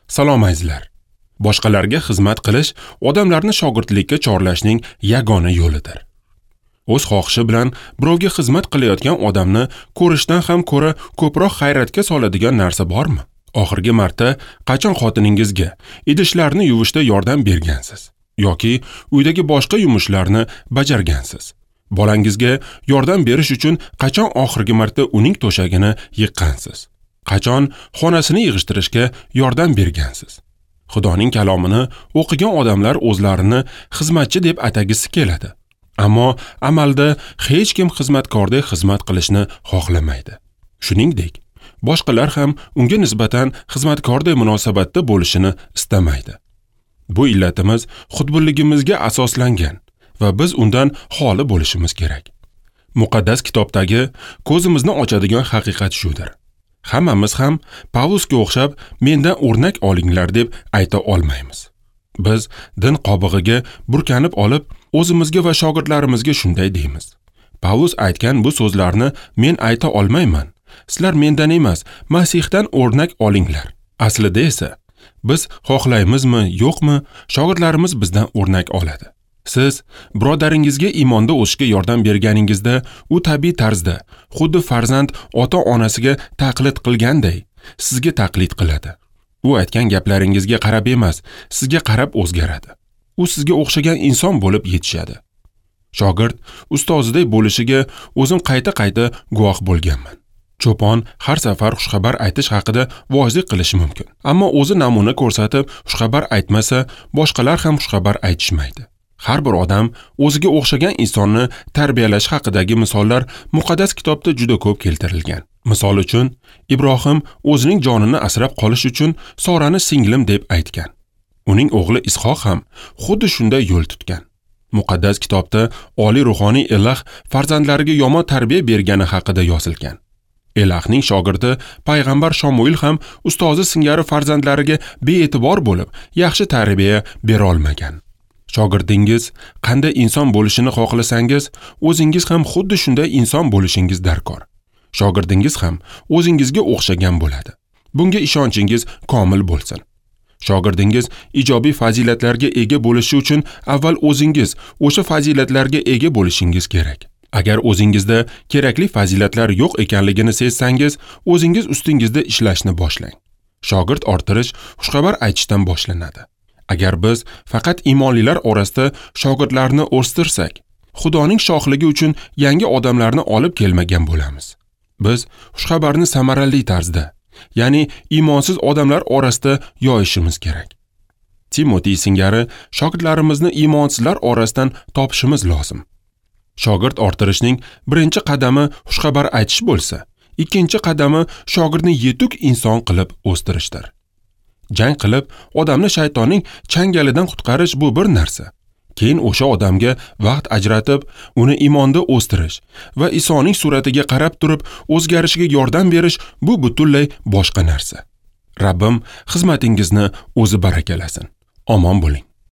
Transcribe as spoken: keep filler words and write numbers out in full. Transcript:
Salom azizlar. Boshqalarga xizmat qilish odamlarni shogirdlikka chorlashning yagona yo'lidir. O'z xohishi bilan birovga xizmat qilayotgan odamni ko'rishdan ham ko'ra ko'proq hayratga soladigan narsa bormi? Oxirgi marta qachon xotiningizga idishlarni yuvishda yordam bergansiz yoki uydagi boshqa yumushlarni bajargansiz? Bolangizga yordam berish uchun qachon oxirgi marta uning to'shagini yiqqansiz? Qachon xonasini yig'ishtirishga yordam bergansiz? Xudoning kalomini o'qigan odamlar o'zlarini xizmatchi deb atagisi keladi. Ammo amalda hech kim xizmatkordek xizmat qilishni xohlamaydi. Shuningdek, boshqalar ham unga nisbatan xizmatkordek munosabatda bo'lishini istamaydi. Bu illatimiz xudbinligimizga asoslangan va biz undan xoli bo'lishimiz kerak. Muqaddas kitobdagi ko'zimizni ochadigan haqiqat shudir. Hammamiz ham Pavlusga o'xshab mendan o'rnak olinglar deb ayta olmaymiz. Biz din qobig'iga burkanib olib, o'zimizga va shogirdlarimizga shunday deymiz. Pavlus aytgan bu so'zlarni men ayta olmayman. Sizlar mendan emas, Masihdan o'rnak olinglar. Aslida esa biz xohlaymizmi, yo'qmi, shogirdlarimiz bizdan o'rnak oladi. Siz birodaringizga iymonda o'sishga yordam berganingizda, u tabiiy tarzda, xuddi farzand ota-onasiga taqlid qilganday, sizga taqlid qiladi. U aytgan gaplaringizga qarab emas, sizga qarab o'zgaradi. U sizga o'xshagan inson bo'lib yetishadi. Shogird ustoziday bo'lishiga o'zim qayta-qayta guvoh bo'lganman. Cho'pon har safar xushxabar aytish haqida voazlik qilishi mumkin. Ammo o'zi namuna ko'rsatib xushxabar aytmasa, boshqalar ham xushxabar aytishmaydi. Har bir odam o'ziga o'xshagan insonni tarbiyalash haqidagi misollar muqaddas kitobda juda ko'p keltirilgan. Misol uchun, Ibrohim o'zining jonini asrab qolish uchun Sorani singlim deb aytgan. Uning o'g'li Ishoq ham xuddi shunday yo'l tutgan. Muqaddas kitobda oliy ruhoniy Elah farzandlariga yomon tarbiya bergani haqida yozilgan. Elahning shogirdi payg'ambar Shomuil ham ustozi singari farzandlariga bee'tibor bo'lib, yaxshi tarbiya bera olmagan. Shogirdingiz qanday inson bo'lishini xohlasangiz, o'zingiz ham xuddi shunday inson bo'lishingiz darkor. Shogirdingiz ham o'zingizga o'xshagan bo'ladi. Bunga ishonchingiz komil bo'lsin. Shogirdingiz ijobiy fazilatlarga ega bo'lishi uchun avval o'zingiz o'sha fazilatlarga ega bo'lishingiz kerak. Agar o'zingizda kerakli fazilatlar yo'q ekanligini sezsangiz, o'zingiz ustingizda ishlashni boshlang. Shogird orttirish xushxabar aytishdan boshlanadi. Agar biz faqat iymonlilar orasida shogirdlarni o'stirsak, Xudoning shohligi uchun yangi odamlarni olib kelmagan bo'lamiz. Biz xushxabarni samarali tarzda, ya'ni iymonsiz odamlar orasida yoyishimiz kerak. Timotey singari shogirdlarimizni iymonsizlar orasidan topishimiz lozim. Shogird orttirishning birinchi qadami xushxabar aytish bo'lsa, ikkinchi qadami shogirdni yetuk inson qilib o'stirishdir. Jang qilib odamni shaytonning changalidan qutqarish bu bir narsa. Keyin o'sha odamga vaqt ajratib, uni iymonda o'stirish va Isoning suratiga qarab turib o'zgarishiga yordam berish bu butunlay boshqa narsa. Rabbim xizmatingizni o'zi barakalasin. Omon bo'ling.